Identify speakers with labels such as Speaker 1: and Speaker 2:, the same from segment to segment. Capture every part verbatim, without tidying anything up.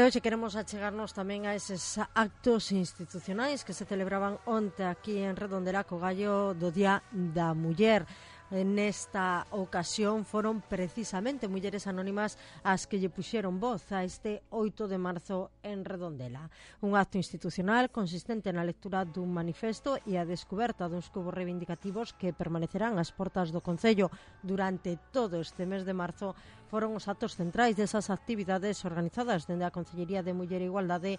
Speaker 1: hoxe queremos achegarnos tamén a eses actos institucionais que se celebraban onte aquí en Redondela co gallo do Día da Muller. Nesta ocasión foron precisamente mulleres anónimas as que lle puxeron voz a este oito de marzo en Redondela. Un acto institucional consistente na lectura dun manifesto e a descoberta duns cubos reivindicativos que permanecerán ás portas do Concello durante todo este mes de marzo. Foron os actos centrais desas actividades organizadas dende a Concellería de Muller e Igualdade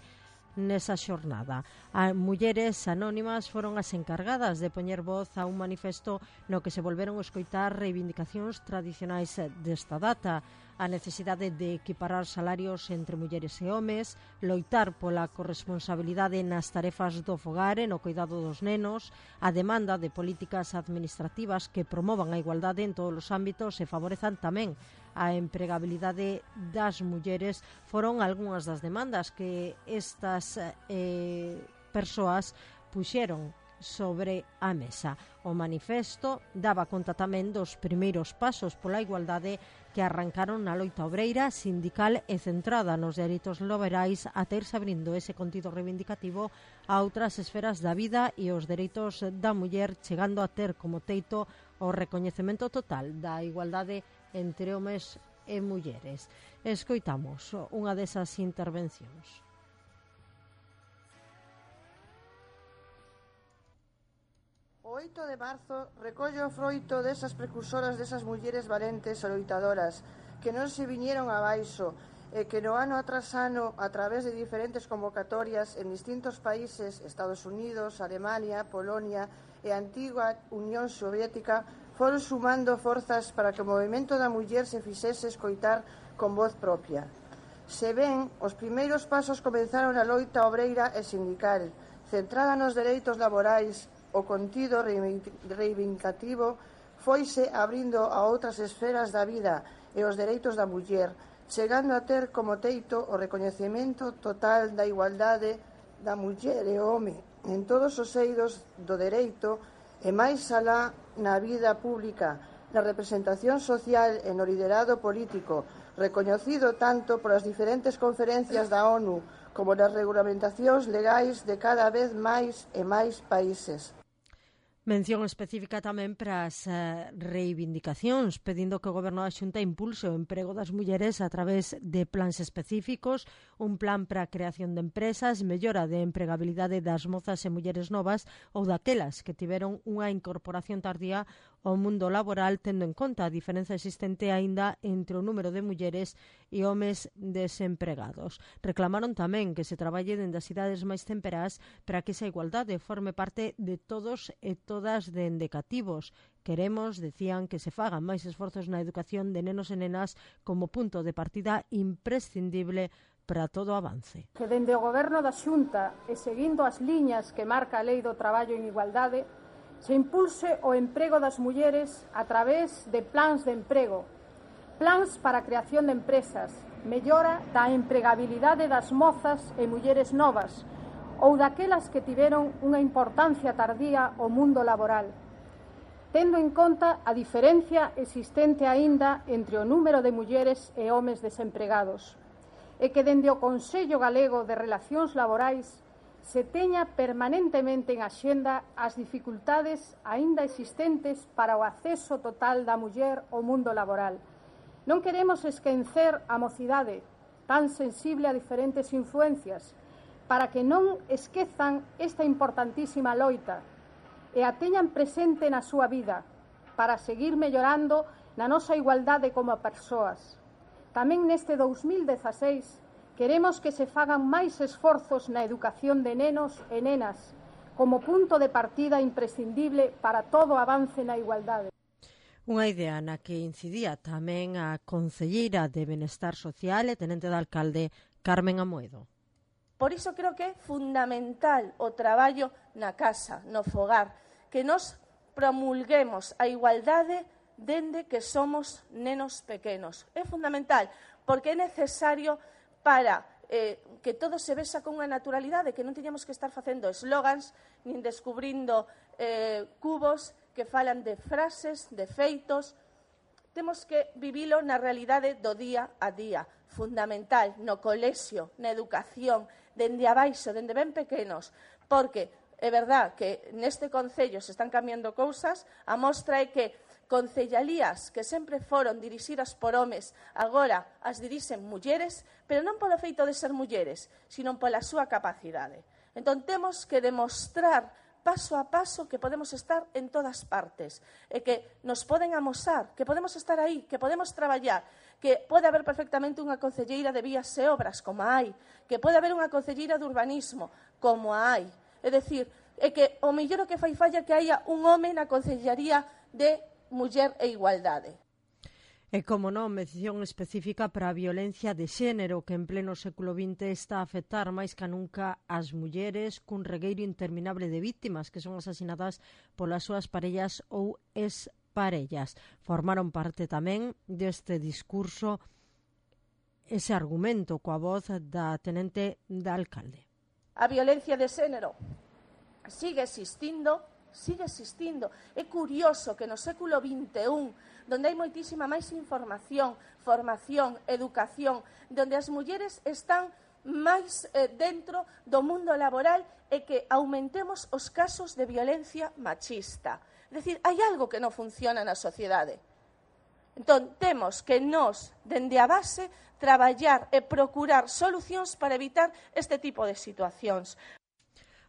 Speaker 1: nesa xornada. As mulleres anónimas foron as encargadas de poñer voz a un manifesto no que se volveron a escoitar reivindicacións tradicionais desta data: a necesidade de equiparar salarios entre mulleres e homes, loitar pola corresponsabilidade nas tarefas do fogar e no cuidado dos nenos, a demanda de políticas administrativas que promovan a igualdade en todos os ámbitos e favorezan tamén a empregabilidade das mulleres. Foron algunhas das demandas que estas eh, persoas puxeron sobre a mesa. O manifesto daba conta tamén dos primeiros pasos pola igualdade que arrancaron na loita obreira, sindical e centrada nos dereitos laborais, ata irse abrindo ese contido reivindicativo a outras esferas da vida e os dereitos da muller, chegando a ter como teito o recoñecemento total da igualdade entre homes e mulleres. Escoitamos unha desas intervencións.
Speaker 2: O oito de marzo recolle o froito desas precursoras desas mulleres valentes e loitadoras que non se viñeron abaixo e que no ano tras ano, a través de diferentes convocatorias en distintos países, Estados Unidos, Alemania, Polonia e a antiga Unión Soviética, foron sumando forzas para que o movimento da muller se fixese escoitar con voz propia. Se ven, os primeiros pasos comenzaron a loita obreira e sindical, centrada nos dereitos laborais. O contido reivindicativo foise abrindo a outras esferas da vida e os dereitos da muller, chegando a ter como teito o recoñecemento total da igualdade da muller e o home en todos os eidos do dereito e máis alá na vida pública, na representación social e no liderado político, recoñecido tanto polas diferentes conferencias da ONU como nas regulamentacións legais de cada vez máis e máis países.
Speaker 1: Mención específica tamén para as uh, reivindicacións, pedindo que o Goberno da Xunta impulse o emprego das mulleres a través de plans específicos, un plan para a creación de empresas, mellora de empregabilidade das mozas e mulleres novas ou daquelas que tiveron unha incorporación tardía ao mundo laboral, tendo en conta a diferenza existente aínda entre o número de mulleres e homes desempregados. Reclamaron tamén que se traballe dende as idades máis temperás para que esa igualdade forme parte de todos e todas dende cativos. Queremos, decían, que se fagan máis esforzos na educación de nenos e nenas como punto de partida imprescindible para todo avance.
Speaker 3: Que dende o Goberno da Xunta e seguindo as liñas que marca a Lei do Traballo en Igualdade, se impulse o emprego das mulleres a través de plans de emprego, plans para a creación de empresas, mellora da empregabilidade das mozas e mulleres novas ou daquelas que tiveron unha importancia tardía ao mundo laboral, tendo en conta a diferencia existente aínda entre o número de mulleres e homes desempregados, e que dende o Consello Galego de Relacións Laborais se teña permanentemente en axenda as dificultades aínda existentes para o acceso total da muller ao mundo laboral. Non queremos esquecer a mocidade, tan sensible a diferentes influencias, para que non esquezan esta importantísima loita e a teñan presente na súa vida, para seguir mellorando na nosa igualdade como persoas. Tamén neste dous mil dezaseis queremos que se fagan máis esforzos na educación de nenos e nenas como punto de partida imprescindible para todo avance na igualdade.
Speaker 1: Unha idea na que incidía tamén a concelleira de Benestar Social e tenente de alcalde Carmen Amoedo.
Speaker 4: Por iso creo que é fundamental o traballo na casa, no fogar, que nos promulguemos a igualdade dende que somos nenos pequenos. É fundamental, porque é necesario para eh, que todo se vexa con unha naturalidade, que non teñamos que estar facendo eslogans, nin descubrindo eh, cubos que falan de frases, de feitos, temos que vivilo na realidade do día a día, fundamental, no colexio, na educación, dende abaixo, dende ben pequenos, porque é verdad que neste Concello se están cambiando cousas, a mostra é que concellalías que sempre foron dirixidas por homes, agora as dirixen mulleres, pero non polo feito de ser mulleres, sino pola súa capacidade. Entón, temos que demostrar paso a paso que podemos estar en todas partes e que nos poden amosar, que podemos estar aí, que podemos traballar, que pode haber perfectamente unha concelleira de vías e obras, como a hai, que pode haber unha concelleira de urbanismo, como a hai. É dicir, é que o mellor o que fai falla que haya un home na concellaría de Muller e Igualdade.
Speaker 1: E, como non, mención específica para a violencia de xénero que en pleno século vinte está a afectar máis que nunca as mulleres cun regueiro interminable de víctimas que son asasinadas polas súas parellas ou exparellas. Formaron parte tamén deste discurso ese argumento coa voz da tenente da alcalde.
Speaker 4: A violencia de xénero sigue existindo, sigue existindo. É curioso que no século vinte e un, donde hai moitísima máis información, formación, educación, donde as mulleres están máis eh, dentro do mundo laboral e que aumentemos os casos de violencia machista. É dicir, hai algo que non funciona na sociedade. Entón, temos que nós, dende a base, traballar e procurar solucións para evitar este tipo de situacións.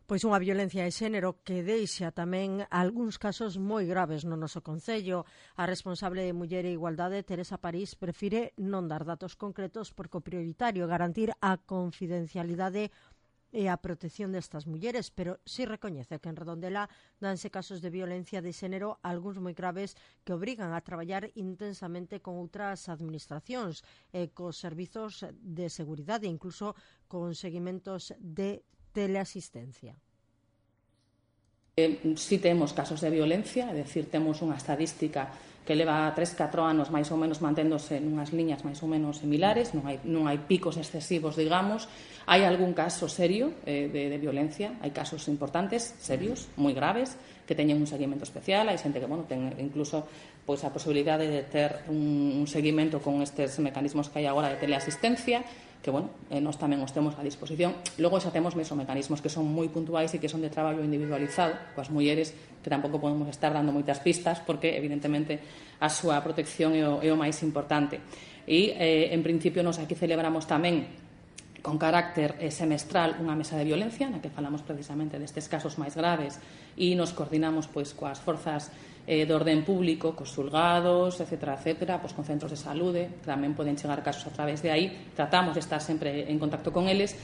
Speaker 1: Pois unha violencia de xénero que deixa tamén algúns casos moi graves no noso Concello. A responsable de Muller e Igualdade, Teresa París, prefire non dar datos concretos porque o prioritario é garantir a confidencialidade e a protección destas mulleres, pero sí recoñece que en Redondela danse casos de violencia de xénero, algúns moi graves, que obrigan a traballar intensamente con outras administracións, e cos servizos de seguridade, incluso con seguimentos de teleasistencia.
Speaker 5: Eh, si temos casos de violencia, é dicir, temos unha estadística que leva tres a catro anos máis ou menos manténdose nunhas liñas máis ou menos similares, non hai, non hai picos excesivos, digamos. Hai algún caso serio eh, de, de violencia, hai casos importantes, serios, moi graves, que teñen un seguimento especial, hai xente que, bueno, ten incluso pois, a posibilidade de ter un, un seguimento con estes mecanismos que hai agora de teleasistencia, que, bueno, eh, nós tamén os temos a disposición. Logo xa temos meso mecanismos que son moi puntuais e que son de traballo individualizado coas mulleres, que tampouco podemos estar dando moitas pistas porque, evidentemente, a súa protección é o, é o máis importante. E, eh, en principio, nos aquí celebramos tamén con carácter eh, semestral unha mesa de violencia na que falamos precisamente destes casos máis graves e nos coordinamos pois coas forzas eh, de orden público, cos xulgados, etcétera, etcétera, pois con centros de saúde, que tamén poden chegar casos a través de aí. Tratamos de estar sempre en contacto con eles.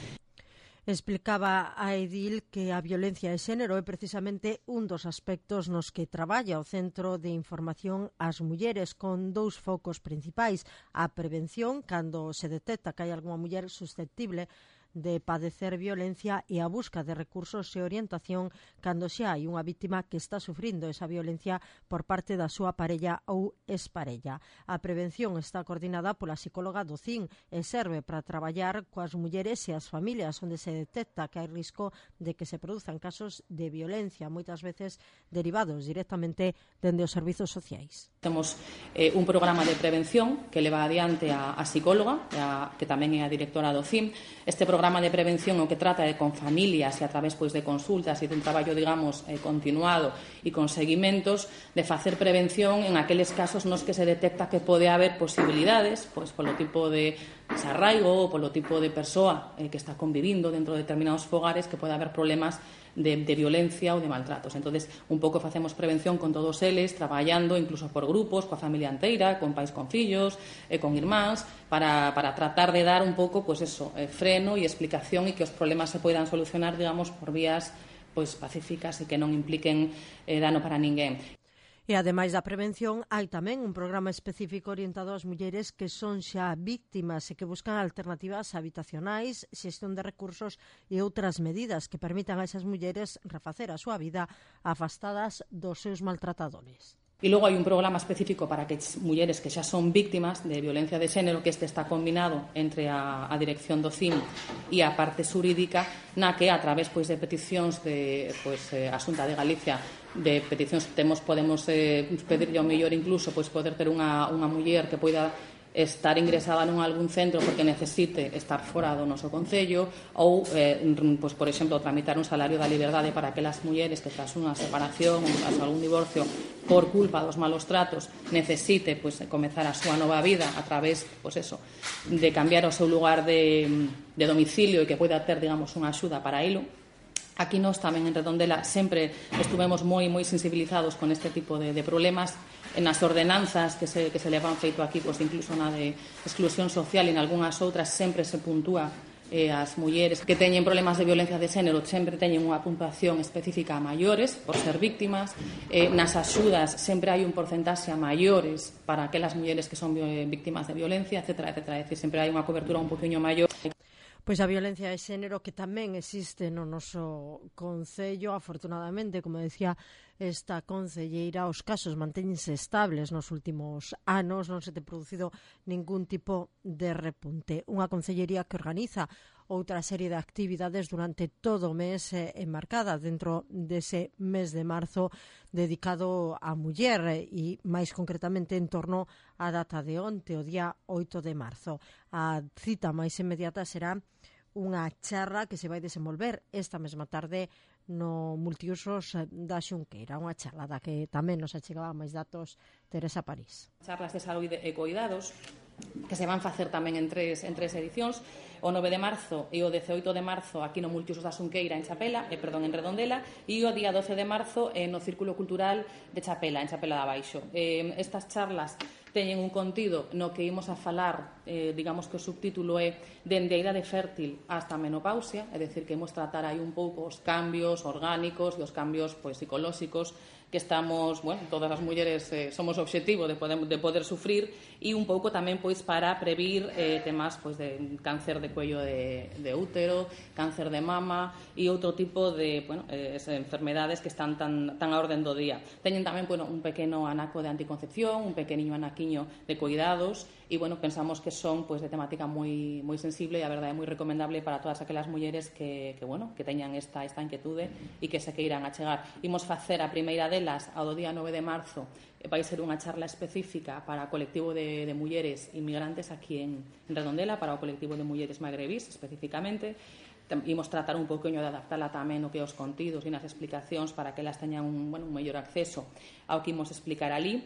Speaker 1: Explicaba a edil que a violencia de xénero é precisamente un dos aspectos nos que traballa o Centro de Información ás Mulleres, con dous focos principais: a prevención, cando se detecta que hai algunha muller susceptible de padecer violencia, e a busca de recursos e orientación cando xa hai unha víctima que está sufrindo esa violencia por parte da súa parella ou exparella. A prevención está coordinada pola psicóloga do C I N e serve para traballar coas mulleres e as familias onde se detecta que hai risco de que se produzan casos de violencia, moitas veces derivados directamente dende os servizos sociais.
Speaker 5: Temos eh, un programa de prevención que leva adiante a, a psicóloga, a, que tamén é a directora do C I M. Este programa programa de prevención o que trata de con familias e a través pois de consultas e dun traballo, digamos, eh, continuado e con seguimentos de facer prevención en aqueles casos nos que se detecta que pode haber posibilidades, pois polo tipo de desarraigo ou polo tipo de persoa eh, que está convivindo dentro de determinados fogares, que pode haber problemas de, de violencia ou de maltratos. Entonces, un pouco facemos prevención con todos eles, traballando incluso por grupos, coa familia inteira, con pais con fillos, e con irmáns, para, para tratar de dar un pouco, pues eso, eh, freno e explicación e que os problemas se poidan solucionar, digamos, por vías pues, pacíficas e que non impliquen eh, dano para ninguén.
Speaker 1: E, ademais da prevención, hai tamén un programa específico orientado ás mulleres que son xa víctimas e que buscan alternativas habitacionais, xestión de recursos e outras medidas que permitan a esas mulleres refacer a súa vida afastadas dos seus maltratadores.
Speaker 5: E logo hai un programa específico para que mulleres que xa son víctimas de violencia de xénero, que este está combinado entre a, a dirección do C I M e a parte xurídica, na que a través pois, de peticións de pois, eh, a Xunta de Galicia, de peticións que temos, podemos eh, pedirlle ao mellor incluso pois, poder ter unha, unha muller que poida estar ingresada nun algún centro porque necesite estar fora do noso concello ou, eh, pues, por exemplo, tramitar un salario da liberdade para aquelas mulleres que tras unha separación ou tras algún divorcio por culpa dos malos tratos necesite pues, comezar a súa nova vida a través pues, eso, de cambiar o seu lugar de, de domicilio e que poida ter, digamos, unha axuda para ilo. Aquí nós tamén en Redondela sempre estuvemos moi moi sensibilizados con este tipo de, de problemas. En as ordenanzas que se, que se levan feito aquí, pues, incluso na de exclusión social e en algunhas outras sempre se puntúa eh, as mulleres que teñen problemas de violencia de xénero sempre teñen unha puntuación específica a maiores por ser víctimas. Eh, nas axudas sempre hai un porcentaxe a maiores para aquelas mulleres que son víctimas de violencia, etcétera, etcétera. É dicir, sempre hai unha cobertura un poquinho maior.
Speaker 1: Pois a violencia de xénero que tamén existe no noso concello, afortunadamente, como decía esta concelleira, os casos mantéñense estables nos últimos anos, non se te producido ningún tipo de repunte. Unha concellería que organiza outra serie de actividades durante todo o mes eh, enmarcada dentro dese mes de marzo dedicado á muller eh, e máis concretamente en torno á data de onte, o día oito de marzo. A cita máis inmediata será unha charla que se vai desenvolver esta mesma tarde no multiusos da Xunqueira, unha charla da que tamén nos achegaba máis datos Teresa París.
Speaker 5: Charlas de saúde e coidados que se van facer tamén en tres, en tres edicións, o nove de marzo e o dezaoito de marzo aquí no multiusos da Xunqueira en Chapela, eh, perdón, en Redondela, e o día doce de marzo eh, no Círculo Cultural de Chapela, en Chapela de Abaixo. Eh, estas charlas teñen un contido no que imos a falar, eh, digamos que o subtítulo é dende a idade fértil hasta a menopausia, é dicir, que imos tratar aí un pouco os cambios orgánicos e os cambios pois, psicolóxicos que estamos, bueno, todas as mulleres eh, somos obxectivo de poder, de poder sufrir e un pouco tamén pois para previr eh, temas pois de cáncer de cuello de, de útero, cáncer de mama e outro tipo de, bueno, eh, enfermedades que están tan, tan a orden do día. Teñen tamén, bueno, un pequeno anaco de anticoncepción, un pequeniño anaquiño de cuidados e, bueno, pensamos que son pois de temática moi moi sensible e a verdade é moi recomendable para todas aquelas mulleres que, que bueno, que teñan esta esta inquietude e que se queiran achegar. Imos facer a primeira delas ao día nove de marzo, vai ser unha charla específica para o colectivo de, de mulleres inmigrantes aquí en, en Redondela, para o colectivo de mulleres magrebís especificamente. Imos tratar un pouquinho de adaptarla tamén o que os contidos e nas explicacións para que elas teñan un, bueno, un mellor acceso ao que imos explicar ali.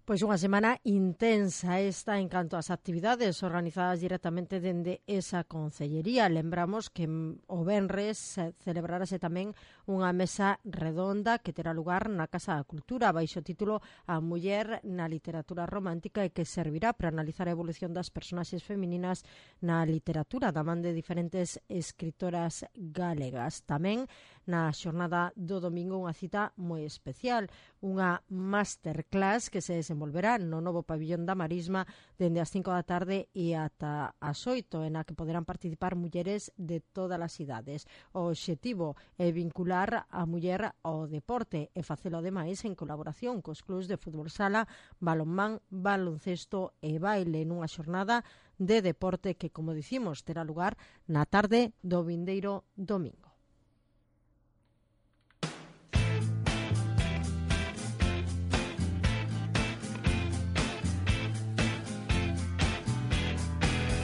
Speaker 1: Pois unha semana intensa esta en canto ás actividades organizadas directamente dende esa concellería. Lembramos que o venres celebrarase tamén unha mesa redonda que terá lugar na Casa da Cultura baixo o título A Muller na Literatura Romántica e que servirá para analizar a evolución das personaxes femininas na literatura da man de diferentes escritoras galegas. Tamén na xornada do domingo unha cita moi especial, unha masterclass que se desenvolverá no novo pabillón da Marisma dende as cinco da tarde e ata as oito, en a que poderán participar mulleres de todas as idades. O obxectivo é vincular a muller ao deporte e facelo ademais en colaboración cos clubs de fútbol sala, balonmán, baloncesto e baile nunha xornada de deporte que, como dicimos, terá lugar na tarde do vindeiro domingo.